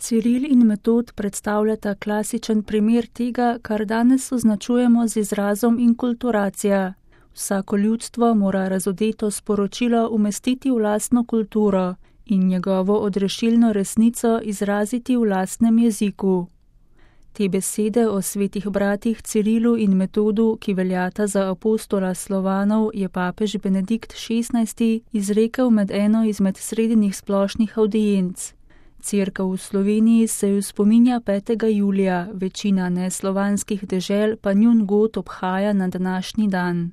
Ciril in Metod predstavljata klasičen primer tega, kar danes označujemo z izrazom inkulturacija. Vsako ljudstvo mora razodeto sporočilo umestiti v lastno kulturo in njegovo odrešilno resnico izraziti v lastnem jeziku. Te besede o svetih bratih Cirilu in Metodu, ki veljata za apostola Slovanov, je papež Benedikt XVI izrekel med eno izmed srednjih splošnih avdienc. Cerkev v Sloveniji se ju spominja 5. julija, večina neslovanskih dežel pa njun god obhaja na današnji dan.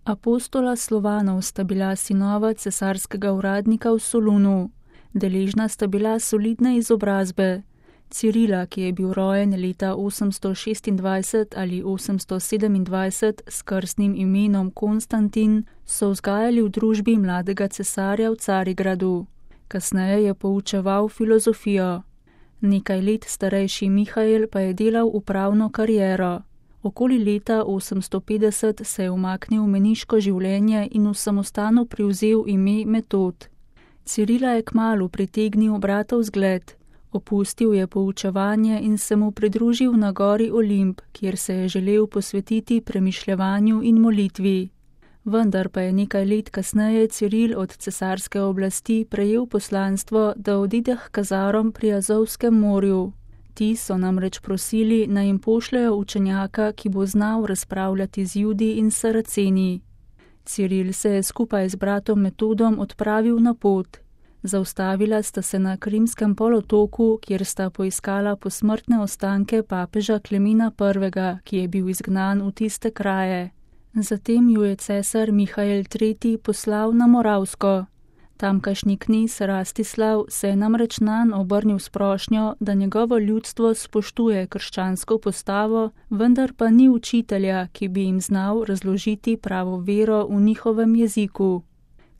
Apostola Slovanov sta bila sinova cesarskega uradnika v Solunu. Deležna sta bila solidne izobrazbe. Cirila, ki je bil rojen leta 826 ali 827 s krstnim imenom Konstantin, so vzgajali v družbi mladega cesarja v Carigradu. Kasneje je poučeval filozofijo. Nekaj let starejši Mihael pa je delal upravno kariero. Okoli leta 850 se je umaknil v meniško življenje in v samostanu privzel ime Metod. Cirila je kmalu pritegnil bratov zgled. Opustil je poučevanje in se mu pridružil na gori Olimp, kjer se je želel posvetiti premišljevanju in molitvi. Vendar pa je nekaj let kasneje Ciril od cesarske oblasti prejel poslanstvo, da odide k Kazarom pri Azovskem morju. Ti so namreč prosili, naj jim pošljejo učenjaka, ki bo znal razpravljati z Judi in Saraceni. Ciril se je skupaj z bratom Metodom odpravil na pot. Zaustavila sta se na Krimskem polotoku, kjer sta poiskala posmrtne ostanke papeža Klemena I., ki je bil izgnan v tiste kraje. Zatem ju je cesar Mihael III. Poslal na Moravsko. Tamkajšnji knez Rastislav se je namreč nanj obrnil s prošnjo, da njegovo ljudstvo spoštuje krščansko postavo, vendar pa ni učitelja, ki bi jim znal razložiti pravo vero v njihovem jeziku.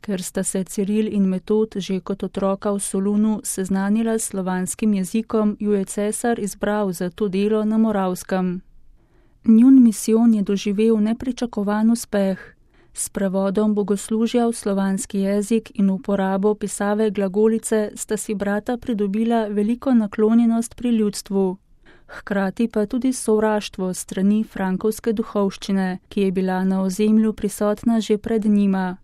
Ker sta se Ciril in Metod že kot otroka v Solunu seznanila s slovanskim jezikom, ju je cesar izbral za to delo na Moravskem. Njun misijon je doživel nepričakovan uspeh. S prevodom bogoslužja v slovanski jezik in uporabo pisave glagolice sta si brata pridobila veliko naklonjenost pri ljudstvu. Hkrati pa tudi sovraštvo strani frankovske duhovščine, ki je bila na ozemlju prisotna že pred njima.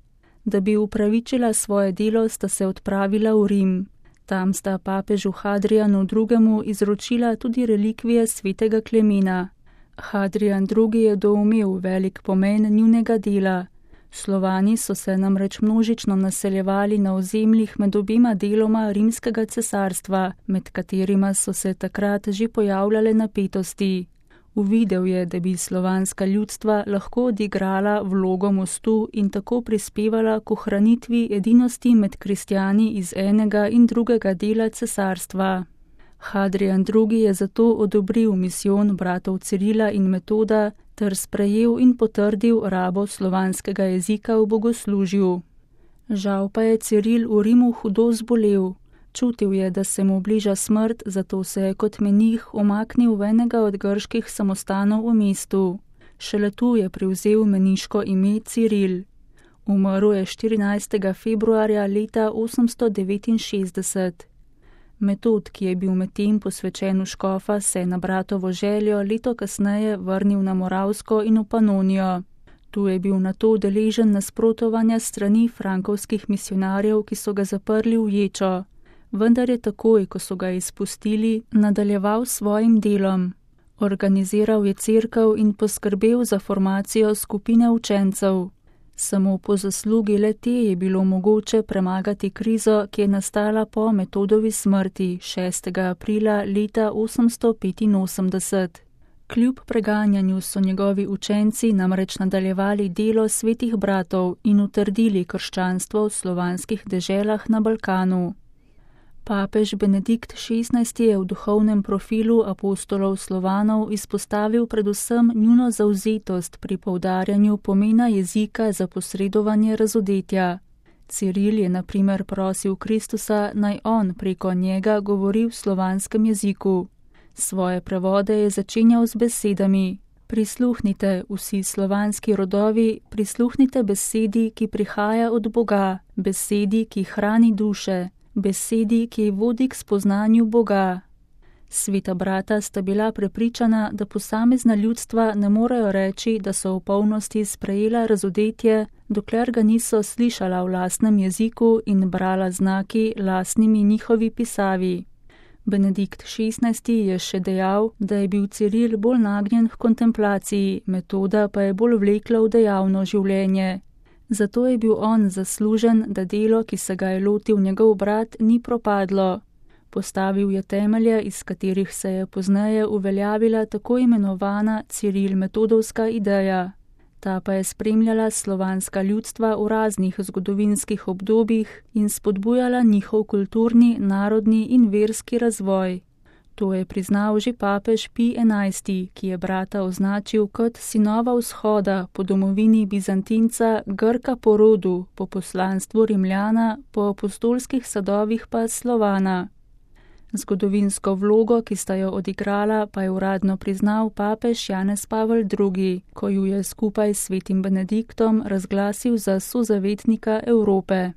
Da bi upravičila svoje delo, sta se odpravila v Rim. Tam sta papežu Hadrianu II. Izročila tudi relikvije svetega Klemena. Hadrian II. Je doumel velik pomen njunega dela. Slovani so se namreč množično naseljevali na ozemljih med obima deloma rimskega cesarstva, med katerima so se takrat že pojavljale napetosti. Uvidel je, da bi slovanska ljudstva lahko odigrala vlogo mostu in tako prispevala k ohranitvi edinosti med kristjani iz enega in drugega dela cesarstva. Hadrian II. Je zato odobril misijon bratov Cirila in Metoda ter sprejel in potrdil rabo slovanskega jezika v bogoslužju. Žal pa je Ciril v Rimu hudo zbolel. Čutil je, da se mu bliža smrt, zato se je kot menih umaknil v enega od grških samostanov v mestu. Šele tu je privzel meniško ime Ciril. Umrl je 14. februarja leta 869. Metod, ki je bil medtem posvečen v škofa, se je na bratovo željo leto kasneje vrnil na Moravsko in v Panonijo. Tu je bil nato deležen nasprotovanja strani frankovskih misionarjev, ki so ga zaprli v ječo. Vendar je takoj, ko so ga izpustili, nadaljeval s svojim delom. Organiziral je cerkev in poskrbel za formacijo skupine učencev. Samo po zaslugi le te je bilo mogoče premagati krizo, ki je nastala po Metodovi smrti 6. aprila leta 885. Kljub preganjanju so njegovi učenci namreč nadaljevali delo svetih bratov in utrdili krščanstvo v slovanskih deželah na Balkanu. Papež Benedikt XVI. Je v duhovnem profilu apostolov Slovanov izpostavil predvsem njuno zavzetost pri poudarjanju pomena jezika za posredovanje razodetja. Ciril je na primer prosil Kristusa, naj on preko njega govori v slovanskem jeziku. Svoje prevode je začenjal z besedami: Prisluhnite, vsi slovanski rodovi, prisluhnite besedi, ki prihaja od Boga, besedi, ki hrani duše, besedi, ki vodi k spoznanju Boga. Sveta brata sta bila prepričana, da posamezna ljudstva ne morejo reči, da so v polnosti sprejela razodetje, dokler ga niso slišala v lastnem jeziku in brala znaki lastnimi njihovi pisavi. Benedikt XVI. Je še dejal, da je bil Ciril bolj nagnjen k kontemplaciji, Metoda pa je bolj vlekla v dejavno življenje. Zato je bil on zaslužen, da delo, ki se ga je lotil njegov brat, ni propadlo. Postavil je temelje, iz katerih se je pozneje uveljavila tako imenovana Ciril-metodovska ideja. Ta pa je spremljala slovanska ljudstva v raznih zgodovinskih obdobjih in spodbujala njihov kulturni, narodni in verski razvoj. To je priznal že papež Pij XI., ki je brata označil kot sinova vzhoda po domovini Bizantinca, Grka po rodu, po poslanstvu Rimljana, po apostolskih sadovih pa Slovana. Zgodovinsko vlogo, ki sta jo odigrala, pa je uradno priznal papež Janez Pavel II., ko ju je skupaj s svetim Benediktom razglasil za sozavetnika Evrope.